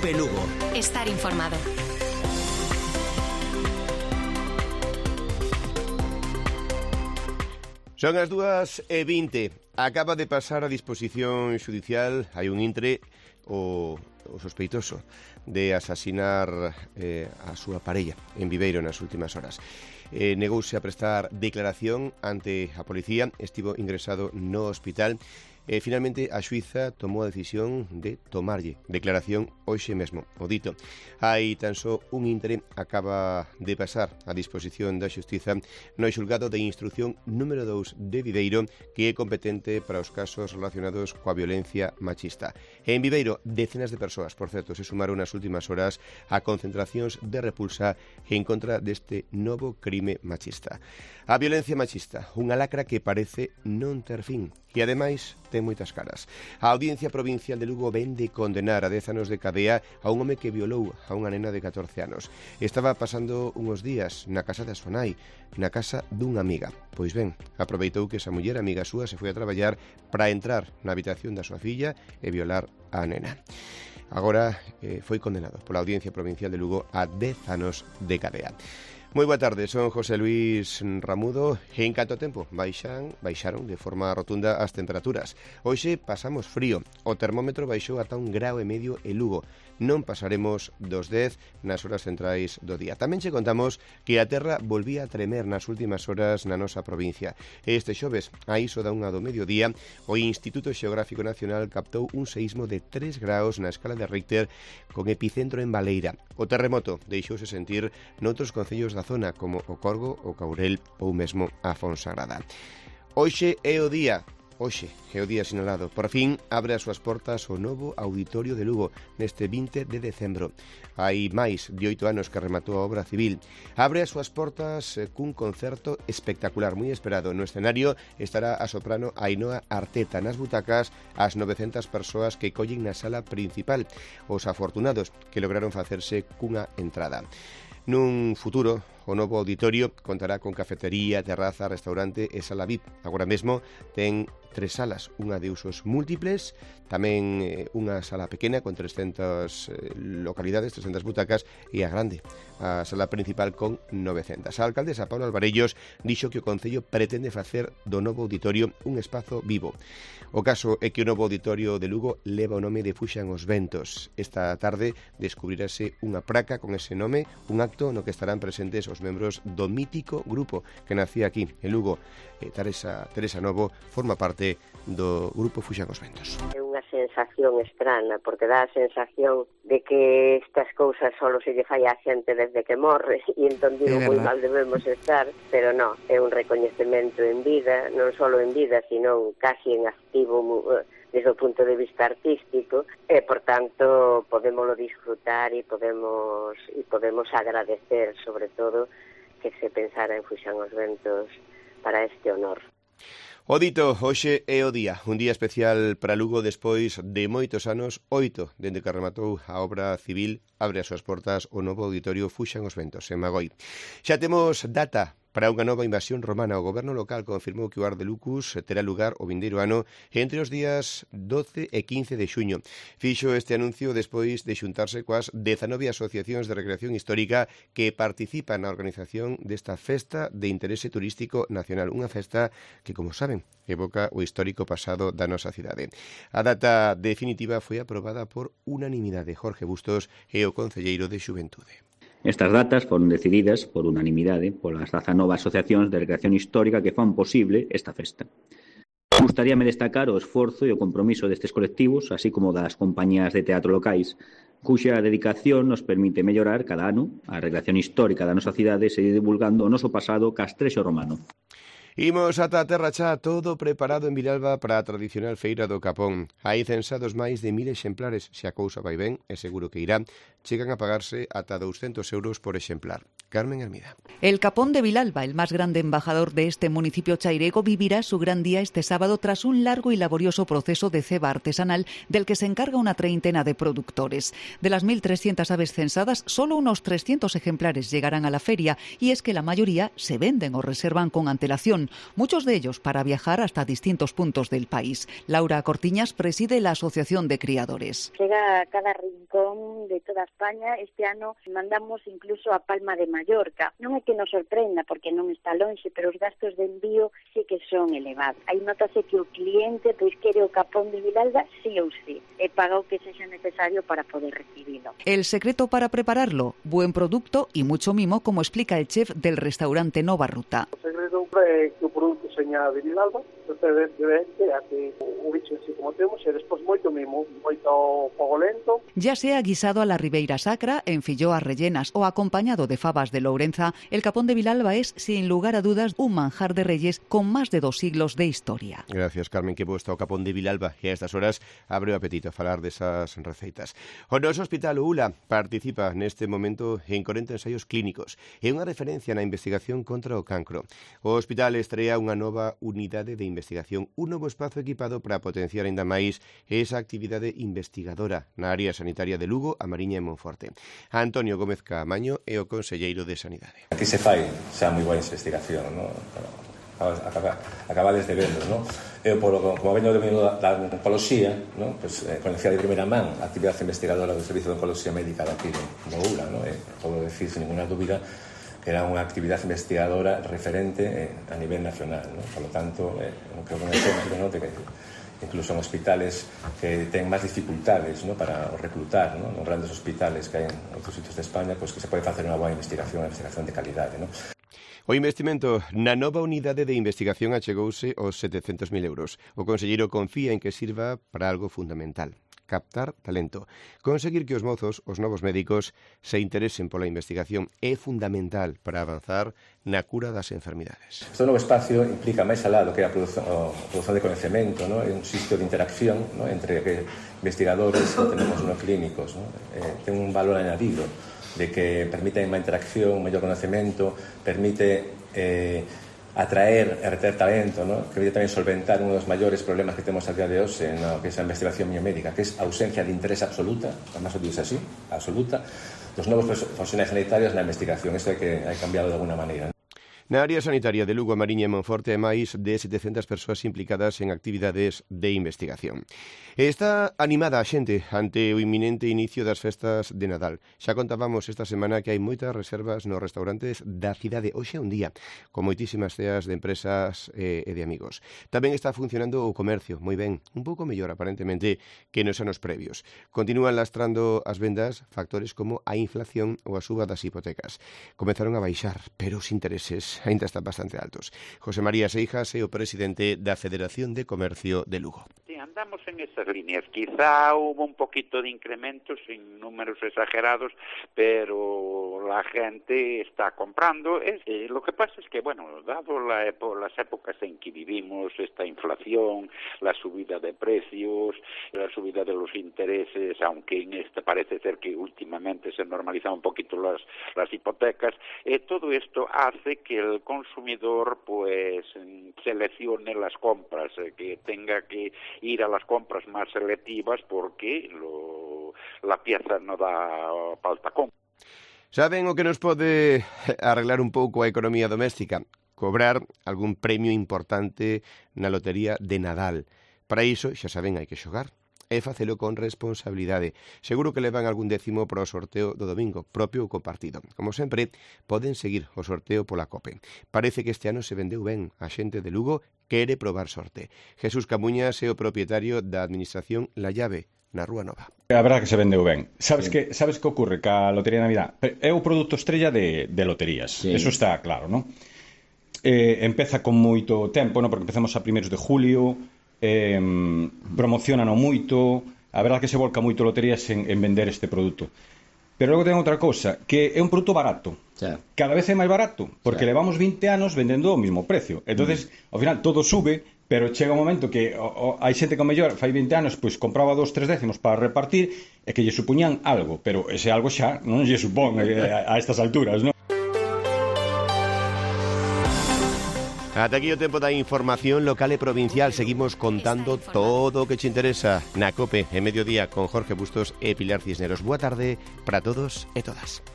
Cope Lugo. Estar informado. Son as 2:20. Acaba de pasar a disposición xudicial, hai un intre, o sospeitoso de asasinar a súa parella en Viveiro nas últimas horas. Negouse a prestar declaración ante a policía, estivo ingresado no hospital. Finalmente, a xuíza tomou a decisión de tomarlle declaración hoxe mesmo, o dito. Hai tan só un intre, acaba de pasar a disposición da xustiza no xulgado de instrucción número 2 de Viveiro, que é competente para os casos relacionados coa violencia machista. En Viveiro, decenas de persoas, por certo, se sumaron nas últimas horas a concentracións de repulsa en contra deste novo crime machista. A violencia machista, unha lacra que parece non ter fin, e ademais ten moitas caras. A Audiencia Provincial de Lugo ven de condenar a 10 anos de cadea a un home que violou a unha nena de 14 anos. Estaba pasando uns días na casa da súa nai, na casa dunha amiga. Pois ben, aproveitou que esa muller amiga súa se foi a traballar para entrar na habitación da súa filla e violar a nena. Agora foi condenado pola Audiencia Provincial de Lugo a 10 anos de cadea. Moi boa tarde, son José Luis Ramudo e en canto tempo baixaron de forma rotunda as temperaturas. Hoxe pasamos frío, o termómetro baixou ata 1,5 graus en Lugo. Non pasaremos dos 10 nas horas centrais do día. Tamén che contamos que a terra volvía a tremer nas últimas horas na nosa provincia. Este xoves, a iso da 1 do mediodía, o Instituto Xeográfico Nacional captou un seísmo de 3 graus na escala de Richter con epicentro en Baleira. O terremoto deixouse sentir noutros concellos da zona como o Corgo, o Caurel ou mesmo a Fonsagrada. Hoxe é o día sinalado. Por fin abre as súas portas o novo Auditorio de Lugo neste 20 de decembro. Hai máis de 8 anos que rematou a obra civil. Abre as súas portas cun concerto espectacular, moi esperado. No escenario estará a soprano Ainhoa Arteta, nas butacas as 900 persoas que collen na sala principal, os afortunados que lograron facerse cunha entrada. Nun futuro, o novo auditorio contará con cafetería, terraza, restaurante e sala VIP. Agora mesmo ten 3 salas, unha de usos múltiples, tamén unha sala pequena con 300 localidades, 300 butacas, e a grande, a sala principal con 900. A alcaldesa Paula Alvarellos dixo que o Concello pretende facer do novo auditorio un espazo vivo. O caso é que o novo auditorio de Lugo leva o nome de Fuxan os Ventos. Esta tarde descubrirase unha praca con ese nome, un acto no que estarán presentes os membros do mítico grupo que nacía aquí, en Lugo. Teresa Novo forma parte do grupo Fuxan os Ventos. É unha sensación estrana, porque dá a sensación de que estas cousas só se lle fai a xente desde que morre, e entón digo, moi mal debemos estar, pero non, é un recoñecemento en vida, non só en vida, sino casi en activo desde o punto de vista artístico, e, por tanto, podémoslo disfrutar e podemos agradecer, sobre todo, que se pensara en Fuxan os Ventos para este honor. O dito, hoxe é o día, un día especial para Lugo despois de moitos anos, 8, dende que rematou a obra civil, abre as súas portas o novo auditorio Fuxan os Ventos, en Magoi. Xa temos data para unha nova invasión romana. O goberno local confirmou que o Ar de Lucus terá lugar o vindeiro ano entre os días 12 e 15 de xuño. Fixo este anuncio despois de xuntarse coas 19 asociacións de recreación histórica que participan na organización desta festa de interese turístico nacional. Unha festa que, como saben, evoca o histórico pasado da nosa cidade. A data definitiva foi aprobada por unanimidade. Jorge Bustos é o concelleiro de Xuventude. Estas datas foron decididas por unanimidade polas 19 asociacións de recreación histórica que fan posible esta festa. Gustaríame destacar o esforzo e o compromiso destes colectivos, así como das compañías de teatro locais, cuxa dedicación nos permite mellorar cada ano a recreación histórica da nosa cidade e seguir divulgando o noso pasado castrexo romano. Imos ata a terra xa, todo preparado en Vilalba para a tradicional feira do Capón. Hai censados máis de 1000 exemplares, se a cousa vai ben, é seguro que irá, chegan a pagarse ata 200 euros por exemplar. Carmen Hermida. El Capón de Vilalba, el más grande embajador de este municipio chairego, vivirá su gran día este sábado tras un largo y laborioso proceso de ceba artesanal del que se encarga una treintena de productores. De las 1.300 aves censadas, solo unos 300 ejemplares llegarán a la feria, y es que la mayoría se venden o reservan con antelación, muchos de ellos para viajar hasta distintos puntos del país. Laura Cortiñas preside la Asociación de Criadores. Llega a cada rincón de toda España. Este ano mandamos incluso a Palma de Mallorca. Non é que nos sorprenda porque non está lonxe, pero os gastos de envío sí que son elevados. Aí notase que o cliente pois quere o Capón de Vilalba sí ou sí, e paga o que sexa necesario para poder recibilo. El secreto para prepararlo, buen producto y mucho mimo, como explica el chef del restaurante Nova Ruta. O segredo é que o produto seña de Vilalba, de que o bicho así como temos, e despois moito mimo, moito fogo lento. Ya sea guisado a la Ribeira Sacra, en filloas rellenas o acompañado de fabas de Lourenza, el Capón de Vilalba es, sin lugar a dudas, un manjar de reyes con más de 2 siglos de historia. Gracias, Carmen, que puesto o Capón de Vilalba e a estas horas abre o apetito a falar desas receitas. O noso hospital ULA participa neste momento en 40 ensaios clínicos e unha referencia na investigación contra o cancro. O hospital estrea unha nova unidade de investigación, un novo espazo equipado para potenciar aínda máis esa actividade investigadora na área sanitaria de Lugo, A Mariña e Monforte. Antonio Gómez Caamaño é o conselleiro de Sanidade. Aquí se fai xa moi boa investigación, ¿no? Acabades de verlo, ¿no? Eu, como veño da oncoloxía, ¿no? Pues, conocía de primeira man a actividade investigadora do Servicio de Oncoloxía Médica daqui do ULA, ¿no? Podo decir, sin ninguna dúbida, que era unha actividade investigadora referente a nivel nacional, ¿no? Por lo tanto, o que conocemos, ¿no? De que incluso en hospitales que ten máis dificultades, ¿no? Para reclutar, ¿no? Nos grandes hospitales que hai en outros sitios de España, pues que se pode facer unha boa investigación de calidade, ¿no? O investimento na nova unidade de investigación achegouse aos 700.000 euros. O conselleiro confía en que sirva para algo fundamental: captar talento. Conseguir que os mozos, os novos médicos, se interesen pola investigación é fundamental para avanzar na cura das enfermidades. Este novo espacio implica máis alá do que a produción de conhecemento, ¿no? É un sitio de interacción, ¿no? Entre investigadores que tenemos no clínicos, ¿no? Ten un valor añadido de que permite unha interacción, un mellor conhecemento, permite atraer e reter talento, ¿no? Que permite tamén solventar un dos maiores problemas que temos a día de hoxe, ¿no? Que é a investigación biomédica, que é a ausencia de interés absoluta, además o dice así, absoluta, dos novos profesionais sanitarios na investigación. Isto hai cambiado de alguna maneira, ¿no? Na área sanitaria de Lugo, A Mariña e Monforte hai máis de 700 persoas implicadas en actividades de investigación. Está animada a xente ante o inminente inicio das festas de Nadal. Xa contábamos esta semana que hai moitas reservas nos restaurantes da cidade. Hoxe é un día con moitísimas ceas de empresas e de amigos. Tamén está funcionando o comercio, moi ben, un pouco mellor aparentemente que nos anos previos. Continúan lastrando as vendas factores como a inflación ou a suba das hipotecas. Comenzaron a baixar, pero os intereses ainda están bastante altos. José María Seijas é o presidente da Federación de Comercio de Lugo. Sí, andamos en esas líneas. Quizá hubo un poquito de incrementos sin números exagerados, pero la gente está comprando. Lo que pasa es que, bueno, dado las épocas en que vivimos, esta inflación, la subida de precios, la subida de los intereses, aunque en parece ser que últimamente se normalizan un poquito las hipotecas, todo esto hace que el consumidor pues seleccione las compras, que tenga que ir a las compras más selectivas porque la pieza no da para el tacón. Saben o que nos pode arreglar un pouco a economía doméstica? Cobrar algún premio importante na lotería de Nadal. Para iso, xa saben, hai que xogar e facelo con responsabilidade. Seguro que levan algún décimo para o sorteo do domingo, propio ou compartido. Como sempre, poden seguir o sorteo pola COPE. Parece que este ano se vendeu ben. A xente de Lugo quere probar sorte. Jesús Camuñas é o propietario da administración La Llave, na Rúa Nova. A verdade que se vendeu ben. Sabes que ocorre? Que a Lotería de Navidad é o produto estrella de loterías. Sí. Eso está claro, non? Empeza con moito tempo, non? Porque empezamos a primeiros de julio, promocionan moito, a verdade que se volca moito loterías en vender este produto. Pero logo ten outra cousa, que é un produto barato. Cada vez é máis barato, porque levamos 20 anos vendendo o mismo precio. Entonces, ao final todo sube, pero chega un momento que hai xente que ao mellor fai 20 anos pois compraba 2-3 décimos para repartir e que lle supuñan algo, pero ese algo xa non lle supón a estas alturas, non? Ata aquí o tempo da información local e provincial. Seguimos contando todo o que te interesa na COPE en mediodía con Jorge Bustos e Pilar Cisneros. Boa tarde para todos e todas.